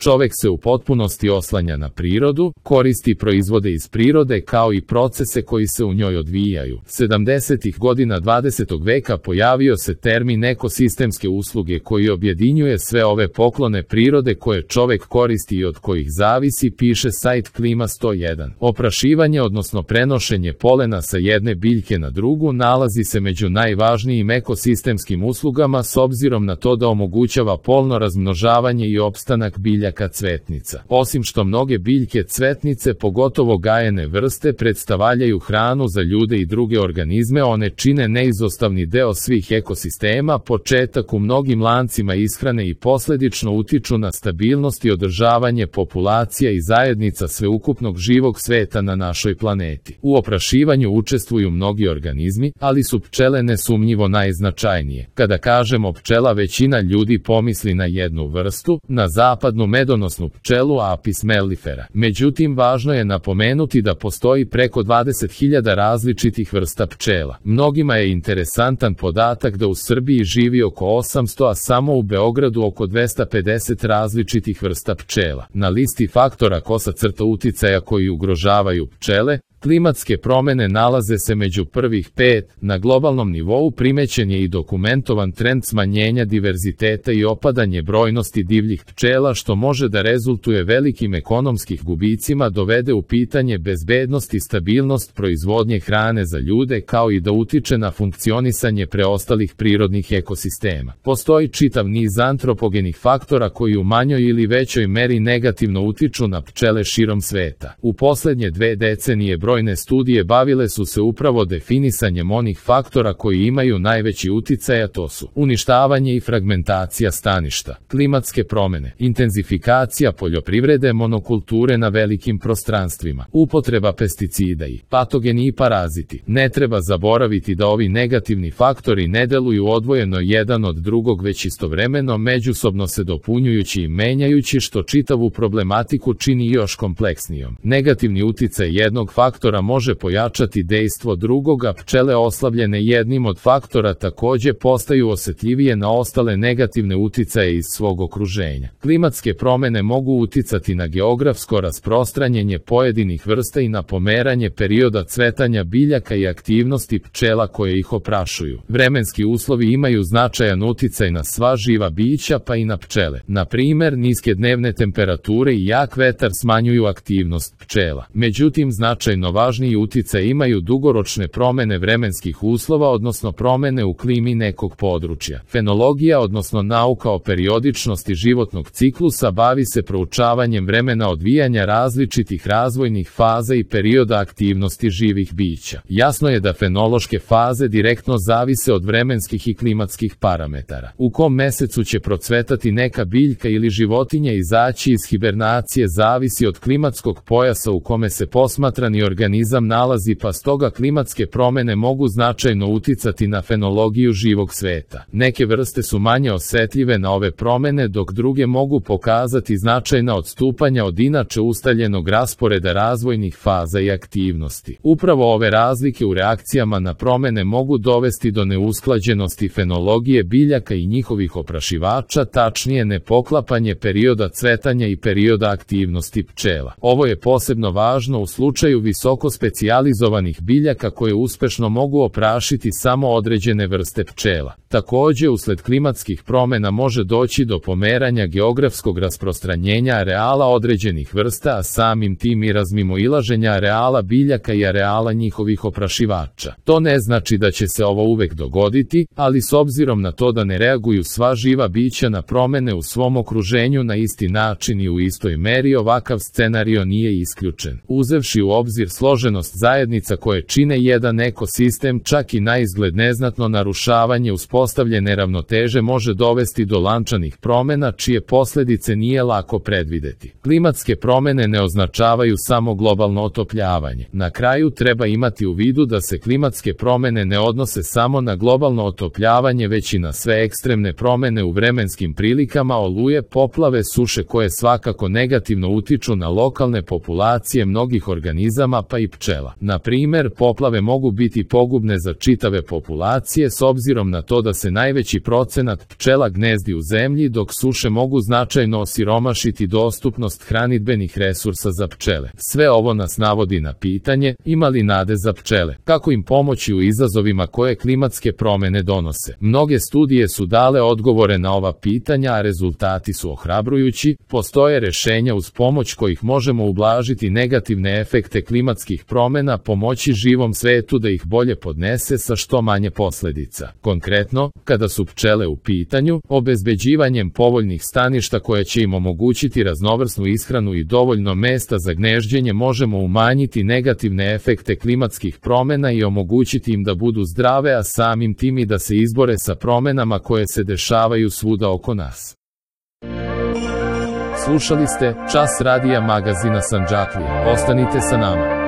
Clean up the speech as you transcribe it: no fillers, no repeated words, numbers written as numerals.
Čovek se u potpunosti oslanja na prirodu, koristi proizvode iz prirode kao i procese koji se u njoj odvijaju. 70. godina 20. veka pojavio se termin ekosistemske usluge koji objedinjuje sve ove poklone prirode koje čovek koristi i od kojih zavisi, piše sajt Klima 101. Oprašivanje, odnosno prenošenje polena sa jedne biljke na drugu, nalazi se među najvažnijim ekosistemskim uslugama s obzirom na to da omogućava polno razmnožavanje i opstanak biljaka cvetnica. Osim što mnoge biljke cvetnice, pogotovo gajene vrste, predstavljaju hranu za ljude i druge organizme, one čine neizostavni deo svih ekosistema, početak u mnogim lancima ishrane i posledično utiču na stabilnost i održavanje populacija i zajednica sveukupnog živog sveta na našoj planeti. U oprašivanju učestvuju mnogi organizmi, ali su pčele nesumnjivo najznačajnije. Kada kažemo pčela, većina ljudi pomisli na jednu vrstu, na zapadnu medonosnu pčelu Apis mellifera. Međutim, važno je napomenuti da postoji preko 20.000 različitih vrsta pčela. Mnogima je interesantan podatak da u Srbiji živi oko 800, a samo u Beogradu oko 250 različitih vrsta pčela. Na listi faktora uticaja koji ugrožavaju pčele, klimatske promene nalaze se među prvih 5. Na globalnom nivou primećen je i dokumentovan trend smanjenja diverziteta i opadanje brojnosti divljih pčela, što može da rezultuje velikim ekonomskih gubicima, dovede u pitanje bezbednost i stabilnost proizvodnje hrane za ljude, kao i da utiče na funkcionisanje preostalih prirodnih ekosistema. Postoji čitav niz antropogenih faktora koji u manjoj ili većoj meri negativno utiču na pčele širom sveta. U poslednje 2 decenije brojne studije bavile su se upravo definisanjem onih faktora koji imaju najveći uticaj, a to su uništavanje i fragmentacija staništa, klimatske promene, intenzifikacija poljoprivrede, monokulture na velikim prostranstvima, upotreba pesticida i patogeni i paraziti. Ne treba zaboraviti da ovi negativni faktori ne deluju odvojeno jedan od drugog, već istovremeno međusobno se dopunjujući i menjajući, što čitavu problematiku čini još kompleksnijom. Negativni uticaj jednog faktora može pojačati dejstvo drugoga. Pčele oslabljene jednim od faktora takođe postaju osetljivije na ostale negativne uticaje iz svog okruženja. Klimatske promene mogu uticati na geografsko rasprostranjenje pojedinih vrsta i na pomeranje perioda cvetanja biljaka i aktivnosti pčela koje ih oprašuju. Vremenski uslovi imaju značajan uticaj na sva živa bića, pa i na pčele. Na primer, niske dnevne temperature i jak vetar smanjuju aktivnost pčela. Međutim, značajno važniji uticaj imaju dugoročne promene vremenskih uslova, odnosno promene u klimi nekog područja. Fenologija, odnosno nauka o periodičnosti životnog ciklusa, bavi se proučavanjem vremena odvijanja različitih razvojnih faza i perioda aktivnosti živih bića. Jasno je da fenološke faze direktno zavise od vremenskih i klimatskih parametara. U kom mesecu će procvetati neka biljka ili životinja izaći iz hibernacije zavisi od klimatskog pojasa u kome se posmatrani organizam nalazi, pa stoga klimatske promene mogu značajno uticati na fenologiju živog sveta. Neke vrste su manje osetljive na ove promene, dok druge mogu pokazati značajna odstupanja od inače ustaljenog rasporeda razvojnih faza i aktivnosti. Upravo ove razlike u reakcijama na promene mogu dovesti do neusklađenosti fenologije biljaka i njihovih oprašivača, tačnije nepoklapanje perioda cvetanja i perioda aktivnosti pčela. Ovo je posebno važno u slučaju visoko specijalizovanih biljaka koje uspešno mogu oprašiti samo određene vrste pčela. Takođe, usled klimatskih promena može doći do pomeranja geografskog rasprostranjenja areala određenih vrsta, a samim tim i razmimoilaženja areala biljaka i areala njihovih oprašivača. To ne znači da će se ovo uvek dogoditi, ali s obzirom na to da ne reaguju sva živa bića na promene u svom okruženju na isti način i u istoj meri, ovakav scenario nije isključen. Uzevši u obzir složenost zajednica koje čine jedan ekosistem, čak i naizgled neznatno narušavanje uspostavljene ravnoteže može dovesti do lančanih promena čije posledice nije lako predvideti. Klimatske promene ne označavaju samo globalno otopljavanje. Na kraju treba imati u vidu da se klimatske promene ne odnose samo na globalno otopljavanje, već i na sve ekstremne promene u vremenskim prilikama, oluje, poplave, suše koje svakako negativno utiču na lokalne populacije mnogih organizama pa i pčela. Na primer, poplave mogu biti pogubne za čitave populacije s obzirom na to da da se najveći procenat pčela gnezdi u zemlji, dok suše mogu značajno osiromašiti dostupnost hranidbenih resursa za pčele. Sve ovo nas navodi na pitanje, ima li nade za pčele? Kako im pomoći u izazovima koje klimatske promene donose? Mnoge studije su dale odgovore na ova pitanja, a rezultati su ohrabrujući. Postoje rešenja uz pomoć kojih možemo ublažiti negativne efekte klimatskih promena, pomoći živom svetu da ih bolje podnese sa što manje posledica. Konkretno, kada su pčele u pitanju, obezbeđivanjem povoljnih staništa koje će im omogućiti raznovrsnu ishranu i dovoljno mesta za gnežđenje možemo umanjiti negativne efekte klimatskih promena i omogućiti im da budu zdrave, a samim tim i da se izbore sa promenama koje se dešavaju svuda oko nas. Slušali ste Čas radija magazina Sandžaklija. Ostanite sa nama.